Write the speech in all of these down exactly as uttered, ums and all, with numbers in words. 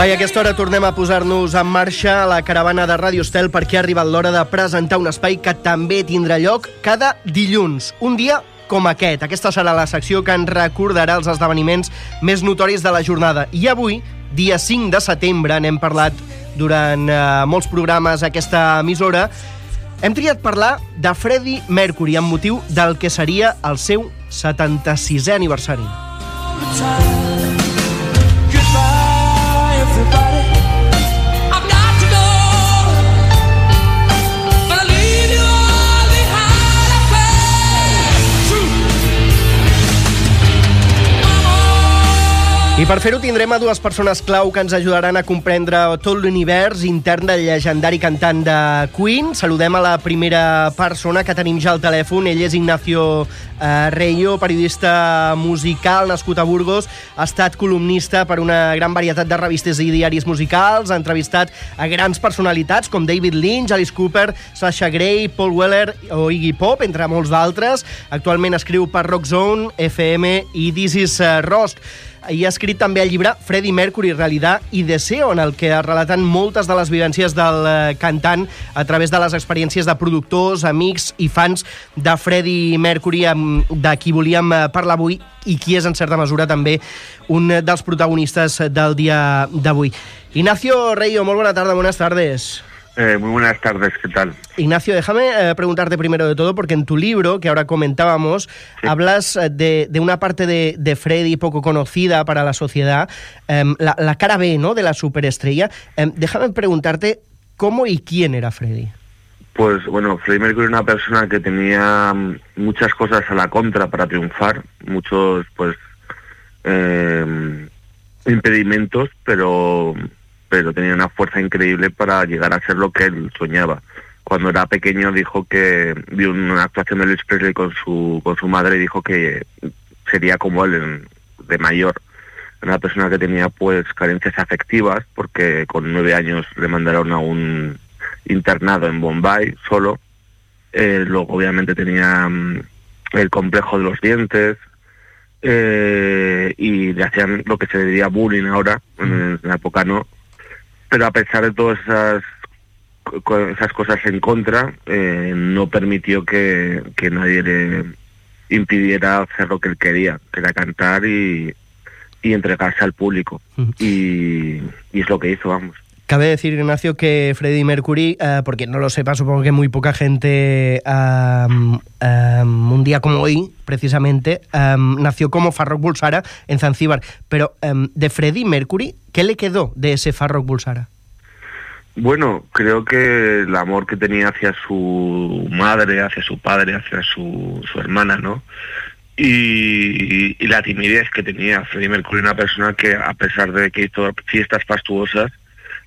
Va, i a aquesta hora tornem a posar-nos en marxa a la caravana de Ràdio Estel perquè ha arribat l'hora de presentar un espai que també tindrà lloc cada dilluns. Un dia com aquest. Aquesta serà la secció que ens recordarà els esdeveniments més notoris de la jornada. I avui, dia cinc de setembre, n'hem parlat durant eh, molts programes a aquesta emissora, hem triat parlar de Freddie Mercury amb motiu del que seria el seu setanta-sisè aniversari. I per fer-ho tindrem a dues persones clau que ens ajudaran a comprendre tot l'univers intern del llegendari cantant de Queen. Saludem a la primera persona que tenim ja al telèfon. Ell és Ignacio eh, Reyo, periodista musical, nascut a Burgos. Ha estat columnista per una gran varietat de revistes i diaris musicals. Ha entrevistat a grans personalitats com David Lynch, Alice Cooper, Sasha Grey, Paul Weller o Iggy Pop, entre molts d'altres. Actualment escriu per Rock Zone, F M i This Is uh, Rock. I ha escrit també el llibre Freddie Mercury, Realidad y Deseo, en el que es relaten moltes de les vivències del cantant a través de les experiències de productors, amics i fans de Freddie Mercury, de qui volíem parlar avui i qui és en certa mesura també un dels protagonistes del dia d'avui. Ignacio Reyo, muy buena tarde, buenas tardes. Eh, muy buenas tardes, ¿qué tal? Ignacio, déjame eh, preguntarte primero de todo, porque en tu libro, que ahora comentábamos, sí. hablas de, de una parte de, de Freddie poco conocida para la sociedad, eh, la, la cara B, ¿no?, de la superestrella. Eh, déjame preguntarte cómo y quién era Freddie. Pues bueno, Freddie Mercury era una persona que tenía muchas cosas a la contra para triunfar, muchos pues eh, impedimentos, pero... pero tenía una fuerza increíble para llegar a ser lo que él soñaba. Cuando era pequeño dijo que vio una actuación de Elvis Presley con su con su madre y dijo que sería como él en, de mayor. Una persona que tenía pues carencias afectivas porque con nueve años le mandaron a un internado en Bombay solo. Eh, luego obviamente tenía um, el complejo de los dientes eh, y le hacían lo que se diría bullying ahora, en la época no. Pero a pesar de todas esas, esas cosas en contra, eh, no permitió que, que nadie le impidiera hacer lo que él quería, que era cantar y, y entregarse al público. Uh-huh. y, y es lo que hizo, vamos. Cabe decir, Ignacio, que Freddie Mercury, uh, porque no lo sepa, supongo que muy poca gente, um, um, un día como hoy, precisamente, um, nació como Farrokh Bulsara en Zanzíbar. Pero um, de Freddie Mercury, ¿qué le quedó de ese Farrokh Bulsara? Bueno, creo que el amor que tenía hacia su madre, hacia su padre, hacia su, su hermana, ¿no? Y, y la timidez que tenía Freddie Mercury, una persona que, a pesar de que hizo fiestas fastuosas,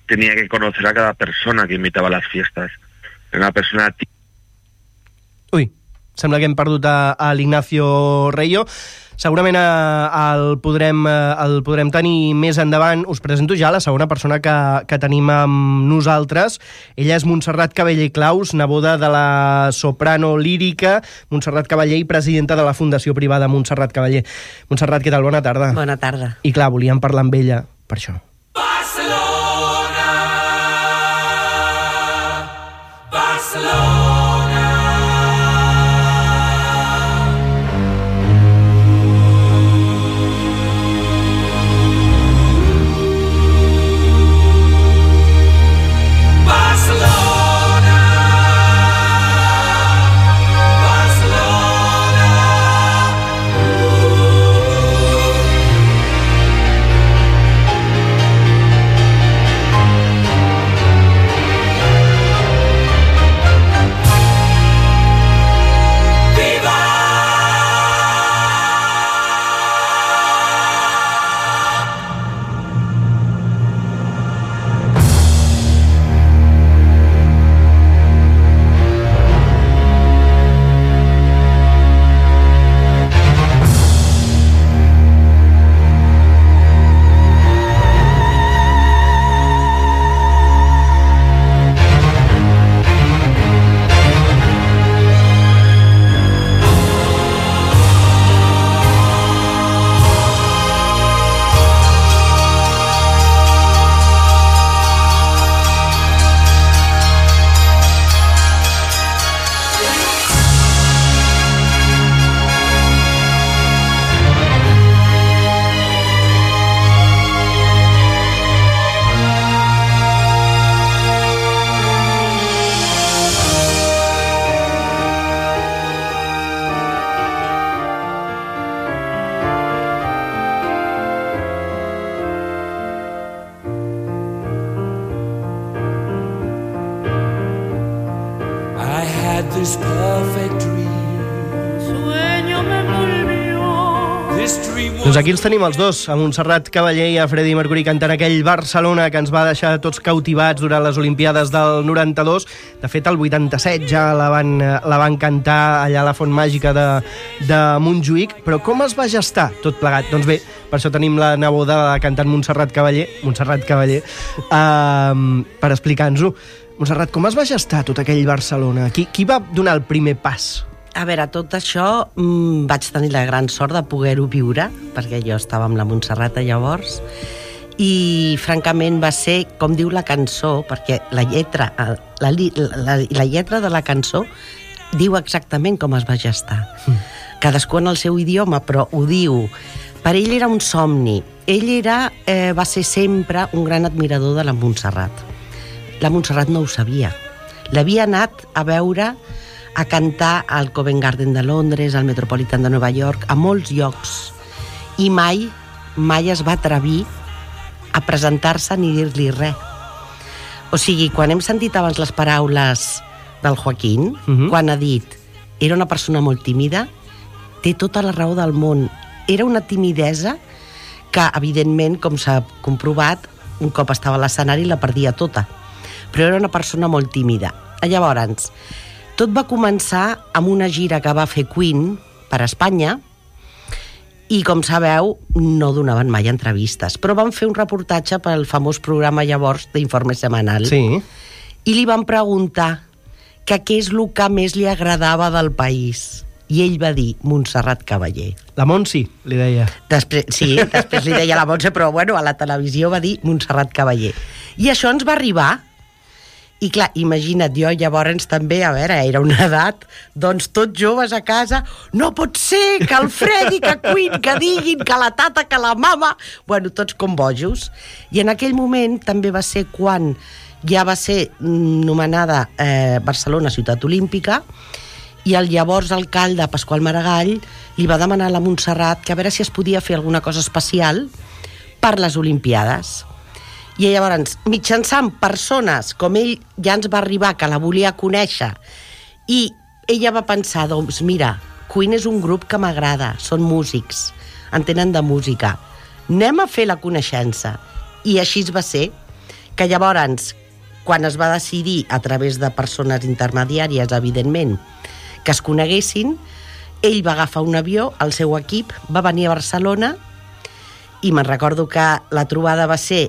tenía que conocer a cada persona que invitava a les fiestes. Era una persona... Ui, sembla que hem perdut a, a l'Ignacio Reyo. Segurament a, a, el, podrem, a, el podrem tenir més endavant. Us presento ja la segona persona que, que tenim amb nosaltres. Ella és Montserrat Caballé Claus, neboda de la soprano lírica Montserrat Caballé i presidenta de la Fundació Privada Montserrat Caballé. Montserrat, què tal? Bona tarda. Bona tarda. I clar, volíem parlar amb ella per això. this perfect dream. Sueño me envolvió. This dream was... Doncs aquí els tenim els dos, a Montserrat Caballé i a Freddie Mercury cantant aquell Barcelona que ens va deixar tots cautivats durant les Olimpiades del noranta-dos. De fet, el vuitanta-set ja la van, la van cantar allà a la Font Màgica de, de Montjuïc. Però com es va gestar tot plegat? Doncs bé, per això tenim la neboda de la cantant Montserrat Caballé, Montserrat Caballé, uh, per explicar-nos-ho. Montserrat, com es va gestar tot aquell Barcelona? Qui, qui va donar el primer pas? A veure, tot això mmm, vaig tenir la gran sort de poder-ho viure, perquè jo estava amb la Montserrat llavors, i francament va ser, com diu la cançó, perquè la lletra, la, la, la lletra de la cançó diu exactament com es va gestar. Mm. Cadascú en el seu idioma, però ho diu. Per ell era un somni. Ell era, eh, va ser sempre un gran admirador de la Montserrat. La Montserrat no ho sabia. L'havia anat a veure, a cantar al Covent Garden de Londres, al Metropolitan de Nova York, a molts llocs. I mai, mai es va atrevir a presentar-se ni dir-li res. O sigui, quan hem sentit abans les paraules del Joaquín, uh-huh. quan ha dit era una persona molt tímida, té tota la raó del món. Era una timidesa que, evidentment, com s'ha comprovat, un cop estava a l'escenari la perdia tota. Però era una persona molt tímida. Llavors, tot va començar amb una gira que va fer Queen per Espanya i, com sabeu, no donaven mai entrevistes. Però van fer un reportatge pel famós programa llavors d'Informe Semanal. Sí. I li van preguntar que què és el que més li agradava del país. I ell va dir Montserrat Caballé. La Montsi, li deia. Després, sí, després li deia la Montse, però bueno, a la televisió va dir Montserrat Caballé. I això ens va arribar. I clar, imagina't, jo llavors també, a veure, era una edat, doncs tots joves a casa, no pot ser que el Freddy, que Queen, que diguin, que la tata, que la mama... Bueno, tots com bojos. I en aquell moment també va ser quan ja va ser nomenada eh, Barcelona Ciutat Olímpica i el llavors alcalde Pasqual Maragall li va demanar a la Montserrat que a veure si es podia fer alguna cosa especial per les Olimpiades. I llavors, mitjançant persones com ell, ja ens va arribar que la volia conèixer, i ella va pensar, doncs mira, Queen és un grup que m'agrada, són músics, entenen de música, anem a fer la coneixença. I així es va ser, que llavors, quan es va decidir, a través de persones intermediàries, evidentment, que es coneguessin, ell va agafar un avió, el seu equip, va venir a Barcelona, i me'n recordo que la trobada va ser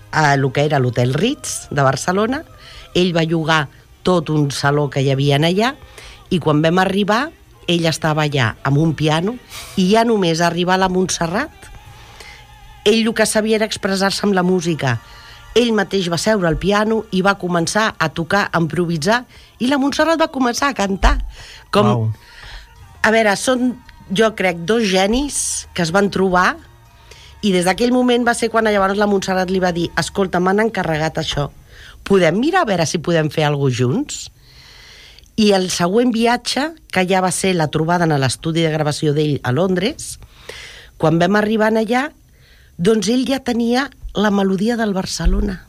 a el que era l'Hotel Ritz de Barcelona. Ell va llogar tot un saló que hi havia allà i quan vam arribar ell estava allà amb un piano i ja només arribar a la Montserrat ell el que sabia era expressar-se amb la música. Ell mateix va seure al piano i va començar a tocar, a improvisar, i la Montserrat va començar a cantar. Com... Wow. A veure, són, jo crec, dos genis que es van trobar. I des d'aquell moment va ser quan llavors la Montserrat li va dir escolta, m'han encarregat això, podem mirar a veure si podem fer alguna cosa junts? I el següent viatge, que ja va ser la trobada en l'estudi de gravació d'ell a Londres, quan vam arribar allà, doncs ell ja tenia la melodia del Barcelona.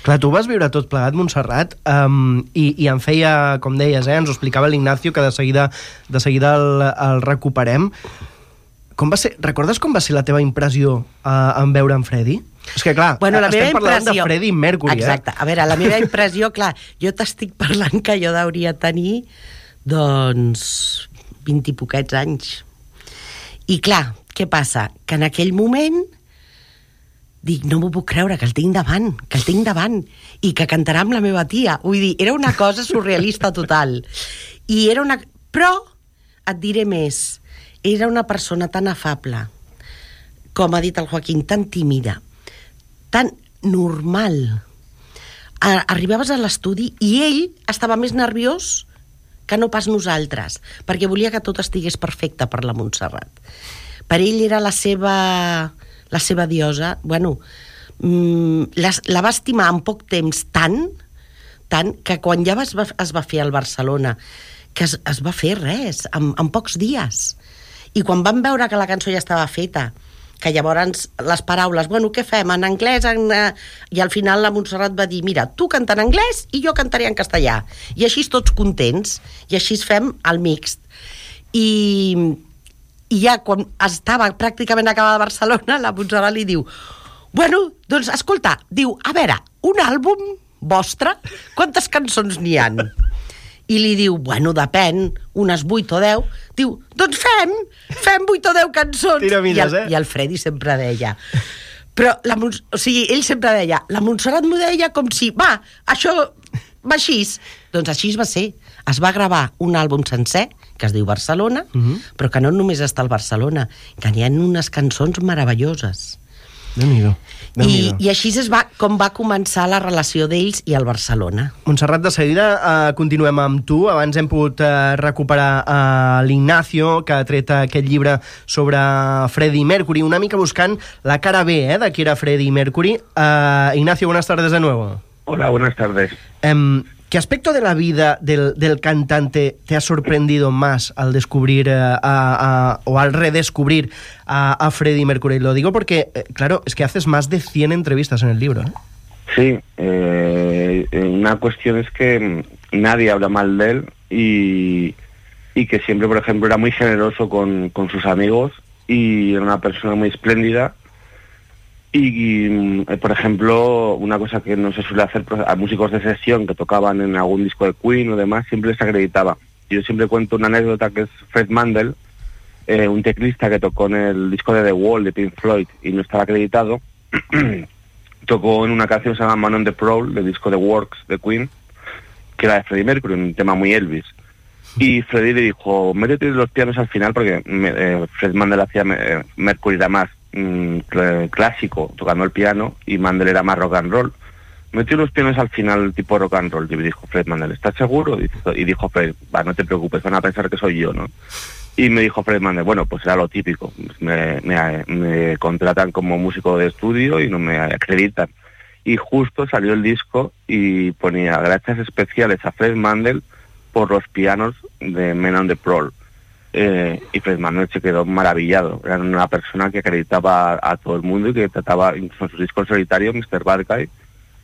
Clar, tu vas viure tot plegat, Montserrat, um, i, i em feia, com deies, eh, ens ho explicava l'Ignacio, que de seguida, de seguida el, el recuperem. Com va ser, recordes com va ser la teva impressió uh, en veure en Freddie? És que, clar, bueno, la estem parlant impressió... de Freddie Mercury, Exacte. eh? A veure, la meva impressió, clar, jo t'estic parlant que jo hauria tenir, doncs, vint i poquets anys. I, clar, què passa? Que en aquell moment dic, no m'ho puc creure, que el tinc davant, que el tinc davant, i que cantarà amb la meva tia. Vull dir, era una cosa surrealista total. I era una... Però, et diré més, era una persona tan afable, com ha dit el Joaquín, tan tímida, tan normal. Arribaves a l'estudi i ell estava més nerviós que no pas nosaltres, perquè volia que tot estigués perfecte per la Montserrat. Per ell era la seva, la seva diosa. Bueno, la, la va estimar en poc temps tant, tant que quan ja es va, es va fer al Barcelona, que es, es va fer res, en, en pocs dies. I quan vam veure que la cançó ja estava feta que llavors les paraules, bueno, què fem, en anglès? En, eh... I al final la Montserrat va dir, mira, tu canta en anglès i jo cantaré en castellà. I així tots contents, i així fem el mixt. I, i ja quan estava pràcticament acabada a Barcelona, la Montserrat li diu, bueno, doncs escolta, diu, a veure, un àlbum vostre, quantes cançons n'hi han? I li diu, bueno, depèn, unes vuit o deu. Diu, doncs fem, fem vuit o deu cançons. Tira milles, I, el, eh? I el Freddy sempre deia... Però, la, o sigui, ell sempre deia, la Montserrat m'ho deia com si, va, això va així. Doncs així va ser. Es va gravar un àlbum sencer, que es diu Barcelona, uh-huh. però que no només està al Barcelona, que n'hi ha unes cançons meravelloses. Déu-n'hi-do. I, I així és va, com va començar la relació d'ells i el Barcelona. Montserrat, de seguida eh, continuem amb tu. Abans hem pogut eh, recuperar eh, l'Ignacio, que ha tret aquest llibre sobre Freddie Mercury, una mica buscant la cara B eh, de qui era Freddie Mercury. Eh, Ignacio, buenas tardes de nuevo. Hola, buenas tardes. Eh, ¿Qué aspecto de la vida del, del cantante te ha sorprendido más al descubrir eh, a, a, o al redescubrir a, a Freddie Mercury? Lo digo porque, eh, claro, es que haces más de cien entrevistas en el libro, ¿eh? Sí, eh, una cuestión es que nadie habla mal de él y, y que siempre, por ejemplo, era muy generoso con, con sus amigos y era una persona muy espléndida. Y, y, por ejemplo, una cosa que no se suele hacer a músicos de sesión que tocaban en algún disco de Queen o demás, siempre se acreditaba. Yo siempre cuento una anécdota que es Fred Mandel, eh, un teclista que tocó en el disco de The Wall de Pink Floyd y no estaba acreditado, tocó en una canción que se llama Man on the Prowl, del disco The Works de Queen, que era de Freddie Mercury, un tema muy Elvis. Y Freddie le dijo, métete los pianos al final, porque eh, Fred Mandel hacía eh, Mercury era más clásico, tocando el piano, y Mandel era más rock and roll. Metió los pianos al final tipo rock and roll, y me dijo Fred Mandel, ¿estás seguro? Y dijo Fred, va, no te preocupes, van a pensar que soy yo, ¿no? Y me dijo Fred Mandel, bueno, pues era lo típico, me, me, me contratan como músico de estudio y no me acreditan. Y justo salió el disco y ponía gracias especiales a Fred Mandel por los pianos de Men on the Prowl. Eh, y Fred Mandel se quedó maravillado. Era una persona que acreditaba a, a todo el mundo y que trataba, incluso en sus discos solitarios, mister Bad Guy,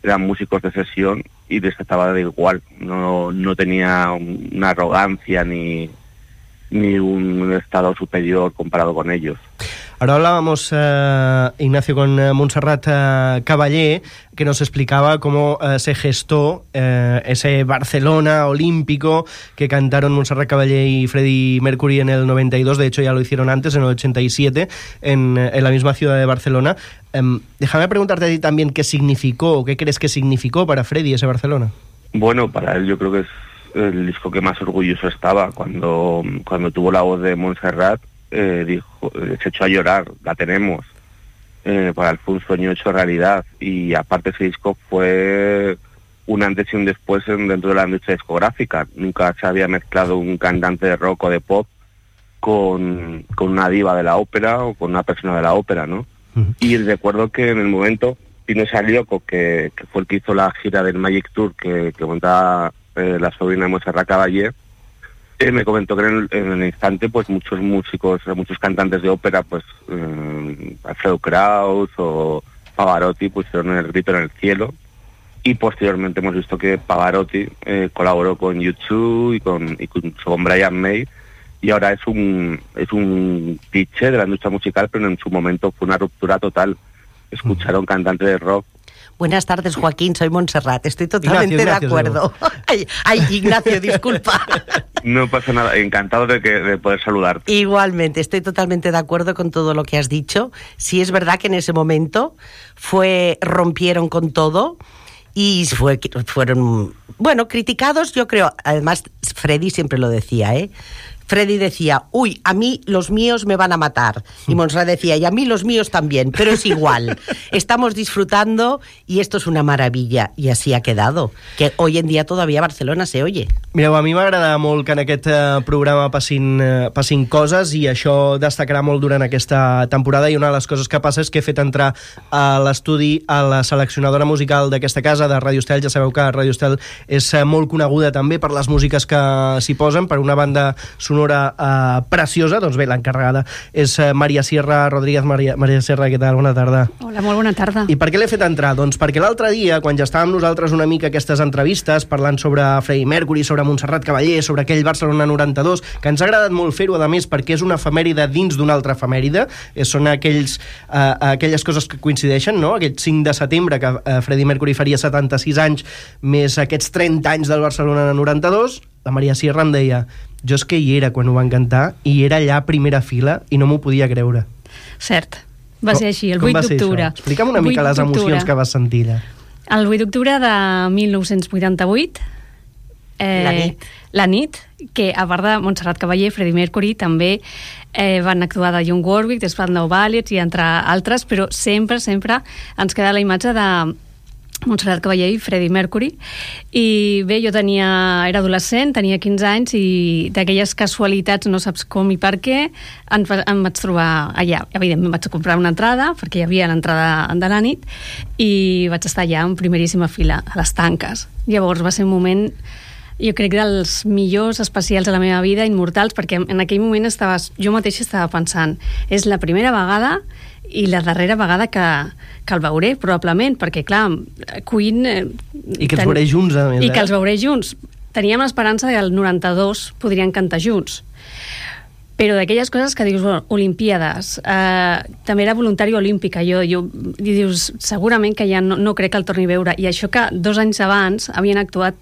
eran músicos de sesión y les trataba de igual. No, no tenía una arrogancia ni, ni un estado superior comparado con ellos. Ahora hablábamos, eh, Ignacio, con eh, Montserrat eh, Caballé, que nos explicaba cómo eh, se gestó eh, ese Barcelona olímpico que cantaron Montserrat Caballé y Freddie Mercury en el noventa y dos. De hecho, ya lo hicieron antes, en el ochenta y siete, en, en la misma ciudad de Barcelona. Eh, déjame preguntarte a ti también qué significó, o qué crees que significó para Freddie ese Barcelona. Bueno, para él yo creo que es el disco que más orgulloso estaba. Cuando, cuando tuvo la voz de Montserrat, Eh, dijo, se echó a llorar, la tenemos. Eh, para él fue un sueño hecho realidad, y aparte ese disco fue un antes y un después en, dentro de la industria discográfica. Nunca se había mezclado un cantante de rock o de pop con, con una diva de la ópera o con una persona de la ópera, ¿no? Uh-huh. Y recuerdo que en el momento Pino Salioco, que, que fue el que hizo la gira del Magic Tour que, que montaba eh, la sobrina de Montserrat Caballé, Eh, me comentó que en el, en el instante pues muchos músicos, muchos cantantes de ópera, pues eh, Alfredo Kraus o Pavarotti pusieron el grito en el cielo, y posteriormente hemos visto que Pavarotti eh, colaboró con U dos y con, y con, con Brian May, y ahora es un es un cliché de la industria musical, pero en su momento fue una ruptura total. Escuchar a un cantante de rock. Buenas tardes, Joaquín, soy Montserrat. Estoy totalmente Ignacio, de Ignacio, acuerdo. Ay, ay, Ignacio, disculpa. No pasa nada, encantado de, que, de poder saludarte. Igualmente, estoy totalmente de acuerdo con todo lo que has dicho. Sí es verdad que en ese momento fue rompieron con todo y fue, fueron, bueno, criticados, yo creo. Además, Freddie siempre lo decía, ¿eh? Freddie decía, uy, a mí los míos me van a matar. Y Montserrat decía, y a mí los míos también, pero es igual. Estamos disfrutando y esto es una maravilla. I així ha quedado. Que hoy en dia todavía Barcelona se oye. Mireu, a mi m'agrada molt que en aquest eh, programa passin, eh, passin coses, i això destacarà molt durant aquesta temporada, i una de les coses que passa és que he fet entrar a l'estudi a la seleccionadora musical d'aquesta casa, de Ràdio Estel. Ja sabeu que Ràdio Estel és eh, molt coneguda també per les músiques que s'hi posen, per una banda sonora sonora eh, preciosa. Doncs bé, l'encarregada és eh, Maria Sierra Rodríguez. Maria, Maria Sierra, què tal? Bona tarda. Hola, molt bona tarda. I per què l'he fet entrar? Doncs perquè l'altre dia, quan ja estàvem nosaltres una mica aquestes entrevistes, parlant sobre Freddie Mercury, sobre Montserrat Caballé, sobre aquell Barcelona noranta-dos, que ens ha agradat molt fer-ho, a més, perquè és una efemèride dins d'una altra efemèride, eh, són aquells, eh, aquelles coses que coincideixen, no? Aquest cinc de setembre, que eh, Freddie Mercury faria setanta-sis anys, més aquests trenta anys del Barcelona noranta-dos, la Maria Sierra em deia, jo és que hi era quan ho van cantar, i era allà a primera fila, i no m'ho podia creure. Cert, va ser així, el vuit d'octubre. Explica'm una mica les emocions que vas sentir allà. El vuit d'octubre de mil nou-cents vuitanta-vuit, eh, la nit. La nit, que a part de Montserrat Caballé, Freddie Mercury, també eh, van actuar de Young Warwick, de Spandau Ballet i entre altres, però sempre, sempre ens queda la imatge de Montserrat Caballé i Freddie Mercury. I bé, jo tenia, era adolescent, tenia quinze anys, i d'aquelles casualitats, no saps com i per què, em, em vaig trobar allà. Evidentment vaig comprar una entrada, perquè hi havia l'entrada de la nit, i vaig estar allà en primeríssima fila, a les tanques. Llavors va ser un moment, jo crec, dels millors especials de la meva vida, immortals, perquè en aquell moment estava, jo mateixa estava pensant, és la primera vegada i la darrera vegada que, que el veuré, probablement, perquè, clar, Queen... Eh, I que els ten... veuré junts, a més. I eh? que els veuré junts. Teníem l'esperança que el noranta-dos podrien cantar junts. Però d'aquelles coses que dius, bueno, Olimpíades, eh, també era voluntari olímpica, jo, jo, i dius, segurament que ja no, no crec que el torni a veure. I això que dos anys abans havien actuat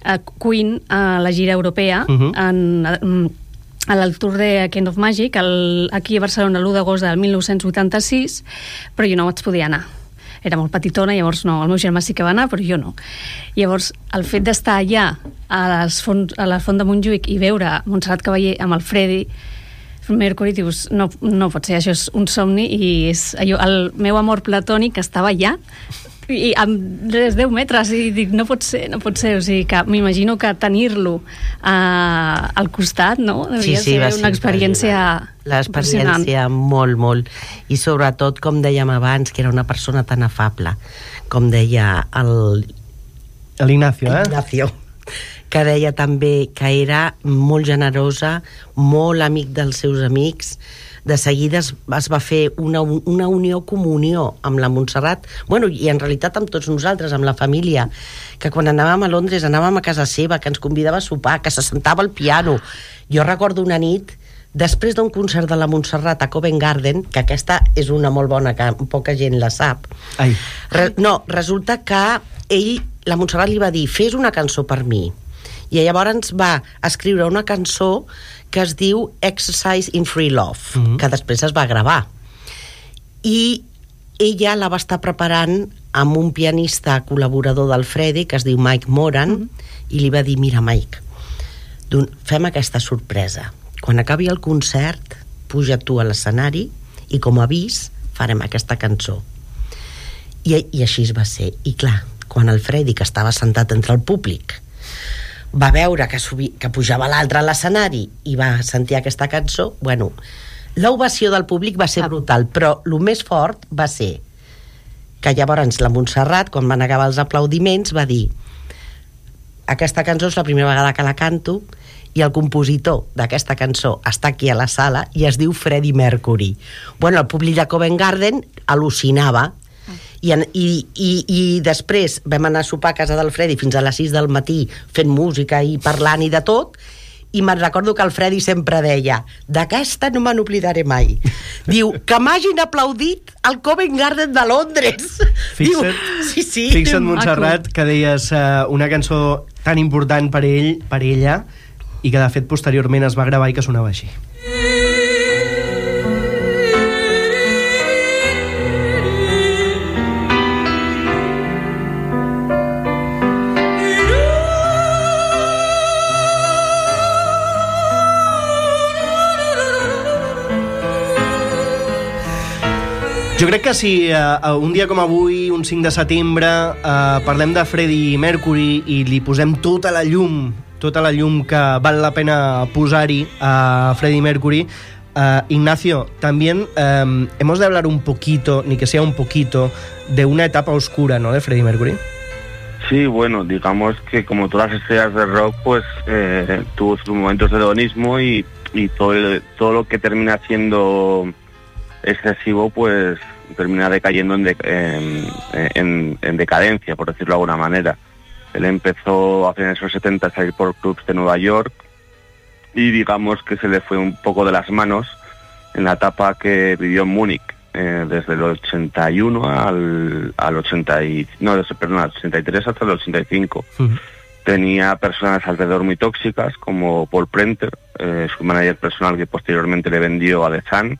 a Queen a la gira europea, uh -huh. en... en al Tour de Kind of Magic, el, aquí a Barcelona l'u d'agost del mil nou-cents vuitanta-sis, però jo no vaig poder anar. Era molt petitona, llavors no, el meu germà sí que va anar, però jo no. Llavors, el fet d'estar allà, a, les font, a la Font de Montjuïc, i veure Montserrat Caballé amb el Freddie Mercury, dius, no, no pot ser, això és un somni, i és allò, el meu amor platònic estava allà, i amb res, deu metres, i dic, no pot ser, no pot ser, o sigui que m'imagino que tenir-lo uh, al costat, no? Devia sí, sí, ser ser una experiència l'experiència molt, molt, i sobretot, com dèiem abans, que era una persona tan afable, com deia el... L'Ignacio, eh? Ignacio, que deia també que era molt generosa, molt amic dels seus amics. De seguida es, es va fer una, una unió, comunió amb la Montserrat, bueno, i en realitat amb tots nosaltres, amb la família, que quan anàvem a Londres anàvem a casa seva, que ens convidava a sopar, que se sentava al piano. Jo recordo una nit, després d'un concert de la Montserrat a Covent Garden, que aquesta és una molt bona, que poca gent la sap. Ai. Re, no, resulta que ell, la Montserrat li va dir, fes una cançó per mi. I llavors va escriure una cançó que es diu Exercise in Free Love, uh-huh. que després es va gravar. I ella la va estar preparant amb un pianista col·laborador del Freddie, que es diu Mike Moran, uh-huh. i li va dir, mira, Mike, fem aquesta sorpresa. Quan acabi el concert, puja tu a l'escenari i com a avís farem aquesta cançó. I, i així es va ser. I clar, quan el Freddie, que estava sentat entre el públic, va veure que, subi, que pujava l'altre a l'escenari i va sentir aquesta cançó, bueno, l'ovació del públic va ser brutal, però el més fort va ser que llavors la Montserrat, quan van acabar els aplaudiments, va dir, aquesta cançó és la primera vegada que la canto i el compositor d'aquesta cançó està aquí a la sala i es diu Freddie Mercury. Bueno, el públic de Covent Garden al·lucinava. I, i, i, i després vam anar a sopar a casa del Freddie fins a les sis del matí fent música i parlant i de tot, i me'n recordo que el Freddie sempre deia, d'aquesta no me n'oblidaré mai. Diu, que m'hagin aplaudit al Covent Garden de Londres. Fixa't, Diu, sí, sí, fixa't Montserrat, que deies uh, una cançó tan important per ell, per ella, i que de fet posteriorment es va gravar i que sonava així. Jo crec que si uh, un dia com avui, un cinc de setembre, uh, parlem de Freddie Mercury i li posem tota la llum, tota la llum que val la pena posar-hi a Freddie Mercury, uh, Ignacio, también um, hemos de hablar un poquito, ni que sea un poquito, de una etapa oscura, ¿no?, de Freddie Mercury. Sí, bueno, digamos que como todas las estrellas de rock, pues eh, tuvo sus momentos de hedonismo y, y todo, el, todo lo que termina siendo excesivo, pues termina decayendo en, de, en, en, en decadencia, por decirlo de alguna manera. Él empezó a finales de los setenta a salir por clubs de Nueva York y digamos que se le fue un poco de las manos en la etapa que vivió en Múnich. Eh, desde el ochenta y uno al, al ochenta y, no, desde, perdón, al ochenta y tres hasta el ochenta y cinco. Uh-huh. Tenía personas alrededor muy tóxicas como Paul Prenter, eh, su manager personal, que posteriormente le vendió a The Sun,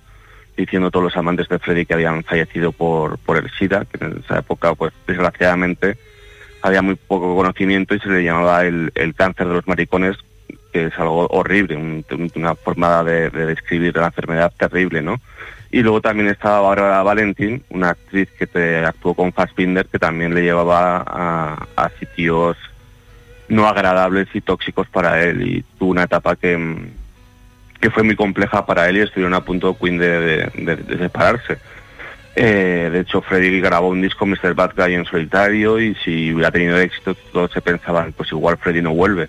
diciendo a todos los amantes de Freddie que habían fallecido por, por el SIDA, que en esa época, pues desgraciadamente, había muy poco conocimiento y se le llamaba el, el cáncer de los maricones, que es algo horrible, un, una forma de, de describir la enfermedad terrible, ¿no? Y luego también estaba Bárbara Valentín, una actriz que te actuó con Fassbinder, que también le llevaba a, a sitios no agradables y tóxicos para él. Y tuvo una etapa que, que fue muy compleja para él y estuvieron a punto Queen de, de, de, de separarse. Eh, de hecho, Freddie grabó un disco, mister Bad Guy, en solitario, y si hubiera tenido éxito, todos se pensaban, pues igual Freddie no vuelve.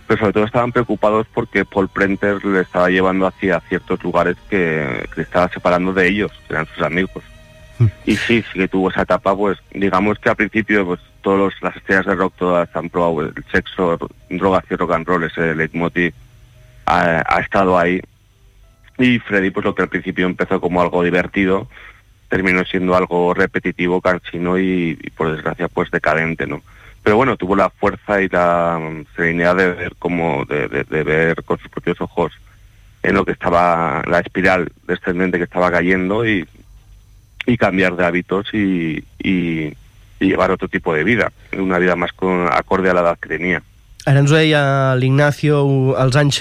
Pero sobre todo estaban preocupados porque Paul Prenter le estaba llevando hacia ciertos lugares que, que le estaba separando de ellos, que eran sus amigos. Mm. Y sí, sí que tuvo esa etapa, pues digamos que al principio pues todas las estrellas de rock todas han probado el sexo, drogas y rock and roll, ese leitmotiv ha, ha estado ahí. Y Freddie, pues lo que al principio empezó como algo divertido, terminó siendo algo repetitivo, cansino y, y por desgracia pues decadente, ¿no? Pero bueno, tuvo la fuerza y la serenidad de ver como de, de, de ver con sus propios ojos en lo que estaba, la espiral descendente que estaba cayendo y, y cambiar de hábitos y, y, y llevar otro tipo de vida, una vida más con, acorde a la edad que tenía. Ara ens ho deia l'Ignacio, els anys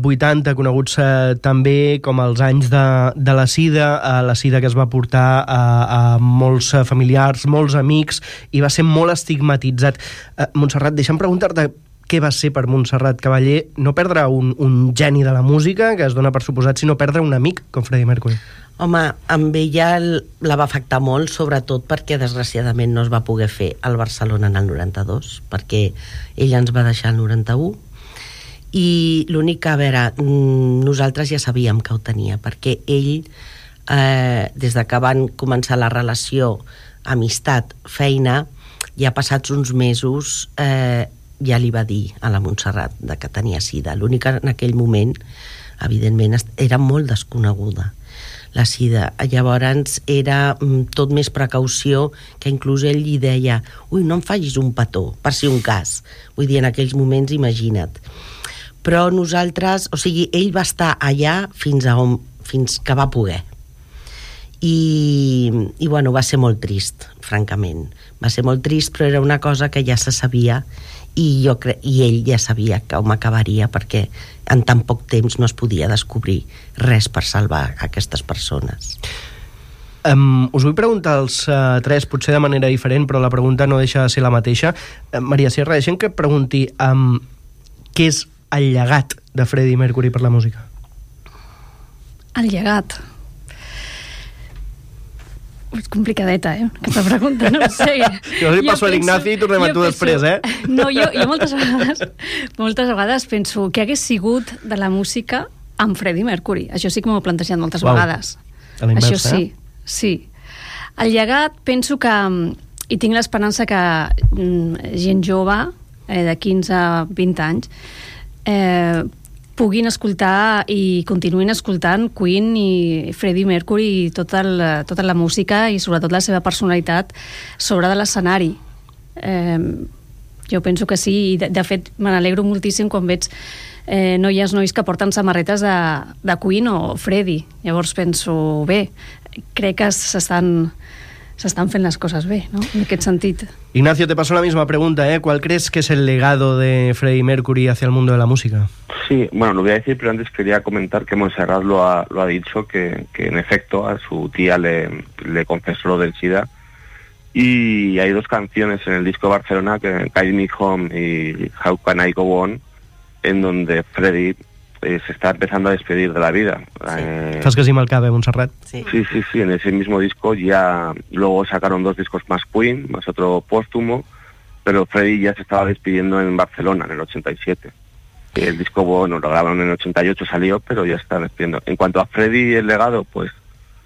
vuitanta, coneguts eh, també com els anys de, de la sida, eh, la sida que es va portar a, a molts familiars, molts amics, i va ser molt estigmatitzat. Eh, Montserrat, deixa'm preguntar-te què va ser per Montserrat Caballé no perdre un, un geni de la música, que es dona per suposat, sinó perdre un amic com Freddie Mercury. Home, amb ella la va afectar molt, sobretot perquè desgraciadament no es va poder fer al Barcelona en el noranta-dos, perquè ella ens va deixar el noranta-u, i l'únic que, a veure, nosaltres ja sabíem que ho tenia, perquè ell, eh, des de que van començar la relació, amistat, feina, ja passats uns mesos, eh, ja li va dir a la Montserrat de que tenia sida. L'únic que en aquell moment, evidentment, era molt desconeguda la sida. Llavors era tot més precaució, que inclús ell li deia ui, no em facis un petó, per si un cas. Vull dir, en aquells moments, imagina't. Però nosaltres, o sigui, ell va estar allà fins, a on, fins que va poder. I, i bueno, va ser molt trist, francament. Va ser molt trist, però era una cosa que ja se sabia i, jo cre... i ell ja sabia com acabaria, perquè en tan poc temps no es podia descobrir res per salvar aquestes persones. Um, us vull preguntar als uh, tres, potser de manera diferent, però la pregunta no deixa de ser la mateixa. Uh, Maria Sierra, deixem que pregunti um, què és el llegat de Freddie Mercury per la música? El llegat... És complicadeta, eh? Aquesta pregunta, no ho sé. Jo li passo a l'Ignaci i tornem a tu després, eh? No, jo, jo moltes vegades moltes vegades penso què hagués sigut de la música amb Freddie Mercury. Això sí que m'ho he plantejat moltes Uau. vegades. A l'inversa, Això sí, eh? sí. El llegat, penso que, i tinc l'esperança que gent jove, eh, de quinze a vint anys, eh, puguin escoltar i continuïn escoltant Queen i Freddie Mercury i tota la, tota la música i sobretot la seva personalitat sobre de l'escenari. Eh, jo penso que sí, i de, de fet me n'alegro moltíssim quan veig eh, noies, nois que porten samarretes de, de Queen o Freddie. Llavors penso, bé, crec que s'estan s'estan fent las cosas bé, ¿no? En aquest sentit. Ignacio, te paso la misma pregunta, ¿eh? ¿Cuál crees que es el legado de Freddie Mercury hacia el mundo de la música? Sí, bueno, lo voy a decir, pero antes quería comentar que Montserrat lo ha, lo ha dicho, que, que en efecto a su tía le, le confesó lo del SIDA. Y hay dos canciones en el disco Barcelona, que Guide Me Home y How Can I Go On, en donde Freddie eh, se está empezando a despedir de la vida. Sí. Eh, Fas que sí mal cabe, Montserrat. Sí. sí, sí, sí, en ese mismo disco ya luego sacaron dos discos más Queen, más otro póstumo, pero Freddie ya se estaba despidiendo en Barcelona en el ochenta y siete. El disco, bueno, lo grabaron en el ochenta y ocho, salió, pero ya está despidiendo. En cuanto a Freddie y el legado, pues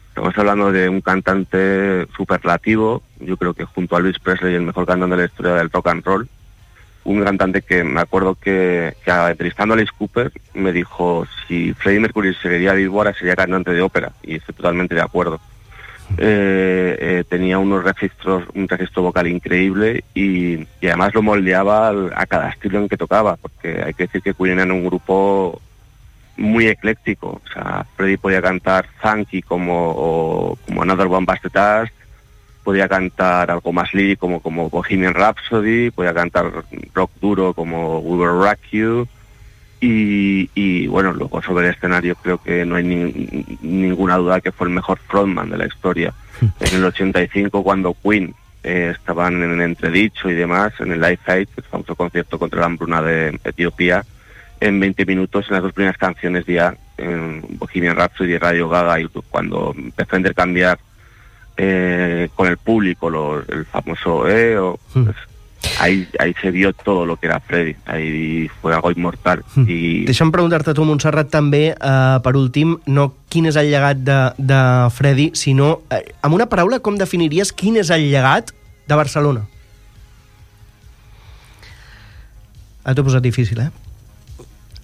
estamos hablando de un cantante superlativo, yo creo que junto a Luis Presley el mejor cantante de la historia del rock and roll. Un cantante que me acuerdo que, que entrevistando a Alice Cooper me dijo, si Freddie Mercury seguiría vivo ahora sería cantante de ópera, y estoy totalmente de acuerdo. Eh, eh, tenía unos registros, un registro vocal increíble y, y además lo moldeaba al, a cada estilo en que tocaba, porque hay que decir que Queen era un grupo muy ecléctico. O sea, Freddie podía cantar funky como, o, como Another One Bites the Dust, podía cantar algo más lírico como, como Bohemian Rhapsody, podía cantar rock duro como We Will Rock You, y, y bueno, luego sobre el escenario creo que no hay ni, ninguna duda que fue el mejor frontman de la historia. En el ochenta y cinco, cuando Queen eh, estaban en entredicho y demás, en el Live Aid, el famoso concierto contra la hambruna de Etiopía, en veinte minutos, en las dos primeras canciones ya, en Bohemian Rhapsody y Radio Gaga, y cuando empezó a intercambiar Eh, con el público, lo, el famoso eh, o, pues, ahí, ahí se vio todo lo que era Freddie, ahí fue algo inmortal. I... Deixa'm preguntar-te a tu, Montserrat, també, eh, per últim, no quin és el llegat de, de Freddie, sinó, eh, amb una paraula, com definiries quin és el llegat de Barcelona? Ah, t'ho he posat difícil, eh?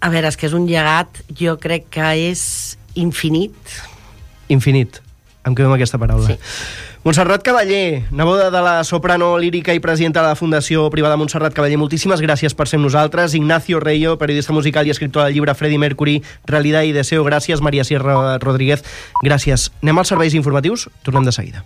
A veure, és que és un llegat, jo crec que és infinit. Infinit. Em quedo amb aquesta paraula. Sí. Montserrat Cavaller, neboda de la soprano lírica i presidenta de la Fundació Privada Montserrat Cavaller, moltíssimes gràcies per ser amb nosaltres. Ignacio Reyo, periodista musical i escriptor del llibre Freddie Mercury, Realidad y Deseo. Gràcies. Maria Sierra Rodríguez, gràcies. Anem als serveis informatius? Tornem de seguida.